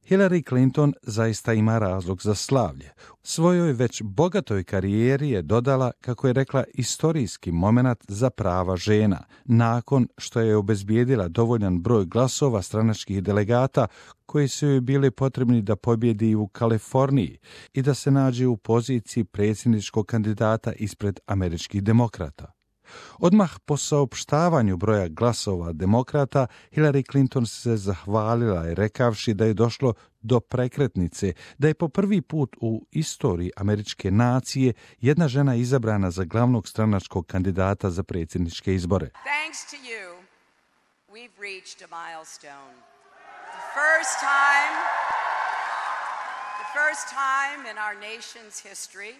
Hillary Clinton zaista ima razlog za slavlje. Svojoj već bogatoj karijeri je dodala, kako je rekla, istorijski momenat za prava žena, nakon što je obezbijedila dovoljan broj glasova stranačkih delegata koji su joj bili potrebni da pobjedi u Kaliforniji i da se nađe u poziciji predsjedničkog kandidata ispred američkih demokrata. Odmah po saopštavanju broja glasova demokrata, Hillary Clinton se zahvalila i rekavši da je došlo do prekretnice, da je po prvi put u istoriji američke nacije jedna žena izabrana za glavnog stranačkog kandidata za predsjedničke izbore. Thanks to you, we've reached a milestone. The first time in our nation's history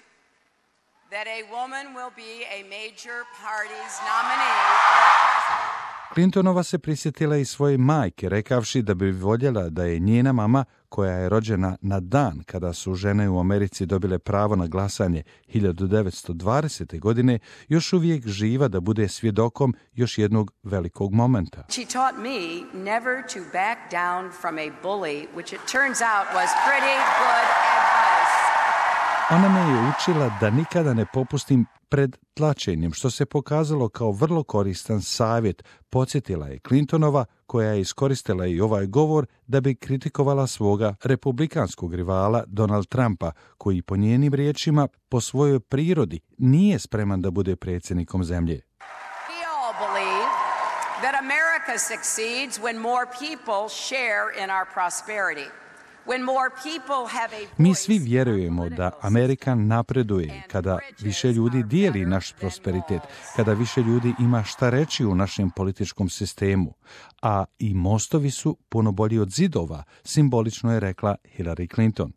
that a woman will be a major party's nominee for president. Clintonova se prisjetila i svoje majke, rekavši da bi voljela da je njena mama, koja je rođena na dan kada su žene u Americi dobile pravo na glasanje 1920. godine, još uvijek živa da bude svjedokom još jednog velikog momenta. She taught me never to back down from a bully, which it turns out was pretty good advice. Ona me je učila da nikada ne popustim pred tlačenjem, što se pokazalo kao vrlo koristan savjet, podsjetila je Clintonova, koja je iskoristila i ovaj govor da bi kritikovala svoga republikanskog rivala Donald Trumpa, koji po njenim riječima po svojoj prirodi nije spreman da bude predsjednikom zemlje. We all believe that America succeeds when more people share in our prosperity. Mi svi vjerujemo da Amerika napreduje kada više ljudi dijeli naš prosperitet, kada više ljudi ima šta reći u našem političkom sistemu, a i mostovi su puno bolji od zidova, simbolično je rekla Hillary Clinton.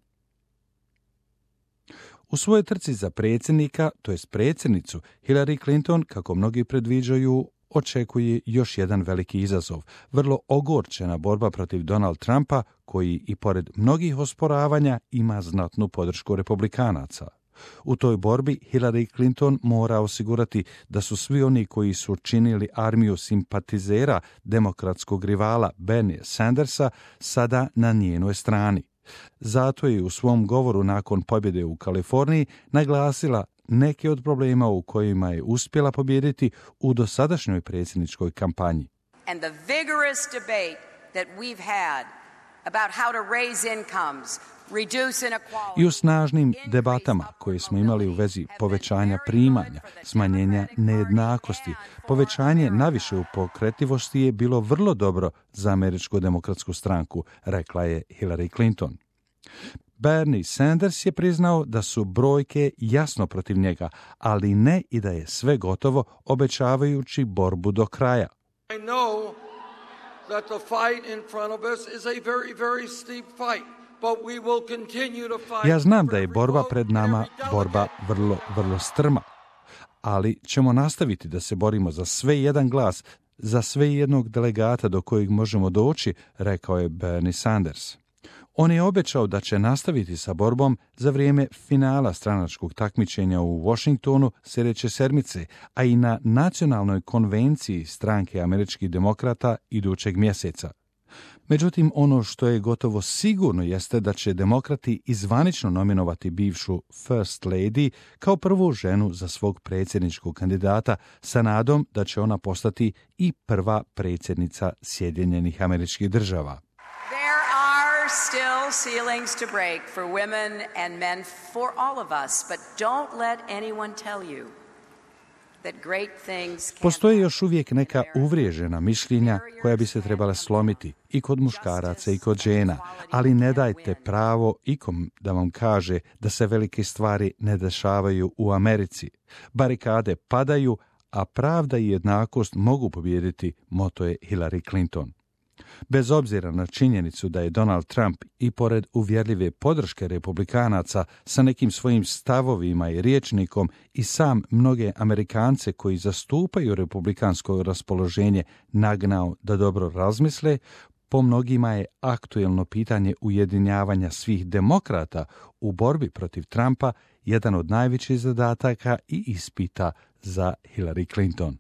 U svojoj trci za predsjednika, to jest predsjednicu, Hillary Clinton, kako mnogi predviđaju, očekuje još jedan veliki izazov, vrlo ogorčena borba protiv Donald Trumpa, koji i pored mnogih osporavanja ima znatnu podršku republikanaca. U toj borbi Hillary Clinton mora osigurati da su svi oni koji su činili armiju simpatizera demokratskog rivala Bernie Sandersa sada na njenoj strani. Zato je u svom govoru nakon pobjede u Kaliforniji naglasila neke od problema u kojima je uspjela pobijediti u dosadašnjoj predsjedničkoj kampanji. And the vigorous debate that we've had about how to raise incomes, reduce inequality. I u snažnim debatama koje smo imali u vezi povećanja primanja, smanjenja nejednakosti, povećanje naviše u pokretljivosti je bilo vrlo dobro za Američku demokratsku stranku, rekla je Hillary Clinton. Bernie Sanders je priznao da su brojke jasno protiv njega, ali ne i da je sve gotovo, obećavajući borbu do kraja. I know that the fight in front of us is a very, very steep fight, but we will continue to fight. Ja znam da je borba pred nama borba vrlo, vrlo strma, ali ćemo nastaviti da se borimo za sve jedan glas, za sve jednog delegata do kojeg možemo doći, rekao je Bernie Sanders. On je obećao da će nastaviti sa borbom za vrijeme finala stranačkog takmičenja u Washingtonu sljedeće sedmice, a i na nacionalnoj konvenciji stranke američkih demokrata idućeg mjeseca. Međutim, ono što je gotovo sigurno jeste da će demokrati izvanično nominovati bivšu First Lady kao prvu ženu za svog predsjedničkog kandidata sa nadom da će ona postati i prva predsjednica Sjedinjenih Američkih Država. Still ceilings to break for women and men, for all of us, but don't let anyone tell you that great things can't. Postoje još uvijek neka uvriježena mišljenja koja bi se trebala slomiti i kod muškaraca i kod žena, ali ne dajte pravo ikom da vam kaže da se velike stvari ne dešavaju u Americi. Barikade padaju, a pravda i jednakost mogu pobijediti, moto je Hillary Clinton. Bez obzira na činjenicu da je Donald Trump i pored uvjerljive podrške republikanaca sa nekim svojim stavovima i rječnikom i sam mnoge Amerikance koji zastupaju republikansko raspoloženje nagnao da dobro razmisle, po mnogima je aktuelno pitanje ujedinjavanja svih demokrata u borbi protiv Trumpa jedan od najvećih zadataka i ispita za Hillary Clinton.